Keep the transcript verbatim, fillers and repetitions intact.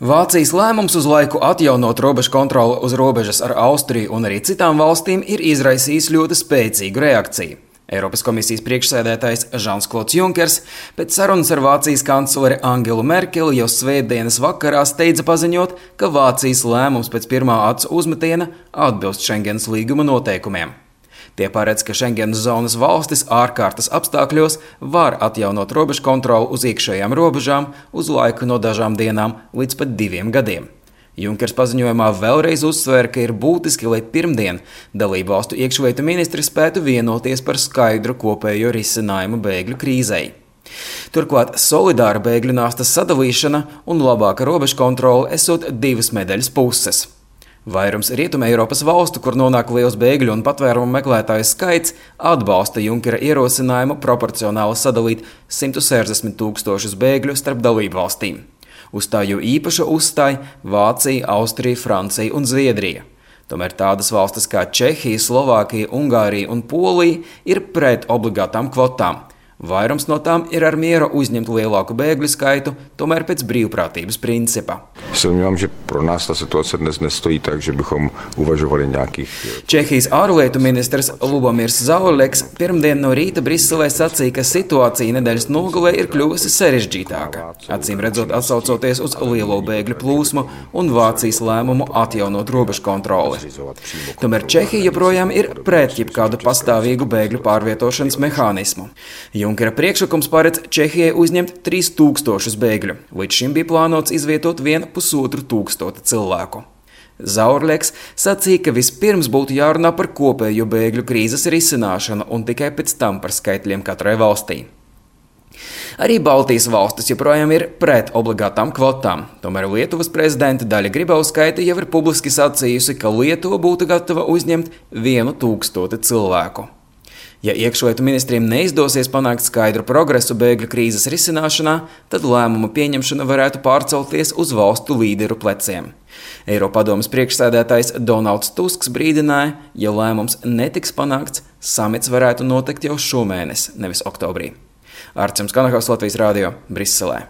Vācijas lēmums uz laiku atjaunot robežu kontroli uz robežas ar Austriju un arī citām valstīm ir izraisījis ļoti spēcīgu reakciju. Eiropas komisijas priekšsēdētājs Žans-Klods Junkers pēc sarunas ar Vācijas kancleri Angelu Merkeli jau svētdienas vakarā steidza paziņot, ka Vācijas lēmums pēc pirmā acu uzmetiena atbilst Schengenas līguma noteikumiem. Tie paredz, ka Schengenas zonas valstis ārkārtas apstākļos var atjaunot robežu kontroli uz iekšējām robežām uz laiku no dažām dienām līdz pat diviem gadiem. Junkers paziņojumā vēlreiz uzsvēra, ka ir būtiski, lai pirmdien dalību valstu iekšlietu ministri spētu vienoties par skaidru kopējo risinājumu bēgļu krīzei. Turklāt solidāra bēgļu nastas sadalīšana un labāka robežu kontrole esot divas medaļas puses. Vairums Rietumē Eiropas valstu, kur nonāk liels bēgļu un patvērumu meklētāju skaits, atbalsta Junkera ierosinājumu proporcionāli sadalīt simt sešdesmit tūkstošus bēgļu starp dalību valstīm. Uz tā jau īpaši uzstāja Vācija, Austrija, Francija un Zviedrija. Tomēr tādas valstis kā Čehija, Slovākija, Ungārija un Polija ir pret obligātām kvotām. Vairums no tām ir ar mieru uzņemt lielāku bēgļu skaitu, tomēr pēc brīvprātības principa. Čehijas ārlietu ministrs Lubomirs Zaorleks pirmdien no rīta Briselē sacīja, ka situācija nedēļas nogalē ir kļuvusi sarežģītāka, acīm redzot atsaucoties uz lielo bēgļu plūsmu un Vācijas lēmumu atjaunot robežu kontroli. Tomēr Čehija joprojām ir pret jebkādu pastāvīgu bēgļu pārvietošanas mehānismu. Junkera priekšlikums paredz Čehijai uzņemt trīs tūkstošus bēgļu. Līdz šim bija plānots izvietot vienu pusotru tūkstoti cilvēku. Zaorleks sacīja, ka vispirms būtu jārunā par kopējo bēgļu krīzes risināšanu un tikai pēc tam par skaitļiem katrai valstī. Arī Baltijas valstis joprojām ir pret obligātām kvotām. Tomēr Lietuvas prezidenta Daļa Grybauskaite jau ir publiski sacījusi, ka Lietuva būtu gatava uzņemt vienu tūkstoti cilvēku. Ja iekšlietu ministriem neizdosies panākt skaidru progresu bēgļu krīzes risināšanā, tad lēmumu pieņemšana varētu pārcelties uz valstu līderu pleciem. Eiropadomes priekšsēdētājs Donalds Tusks brīdināja, ja lēmums netiks panākts, samits varētu notikt jau šomēnes, nevis oktobrī. Arčuns Kanahaus, Latvijas Rādio, Briselē.